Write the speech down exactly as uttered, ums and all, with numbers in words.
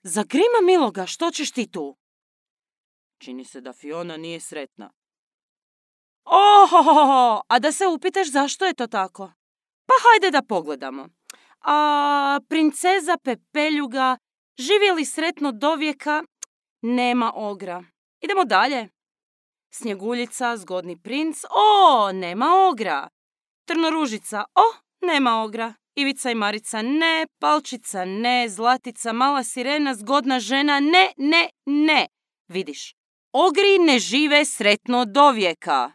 Zagrima miloga, što ćeš ti tu? Čini se da Fiona nije sretna. Ohohoho, a da se upitaš zašto je to tako? Pa hajde da pogledamo. A princeza Pepeljuga živi li sretno do vijeka? Nema ogra. Idemo dalje. Snjeguljica, zgodni princ, o, nema ogra. Trnoružica, o, nema ogra. Ivica i Marica, ne. Palčica, ne. Zlatica, mala sirena, zgodna žena, ne, ne, ne. Vidiš, ogri ne žive sretno do vijeka.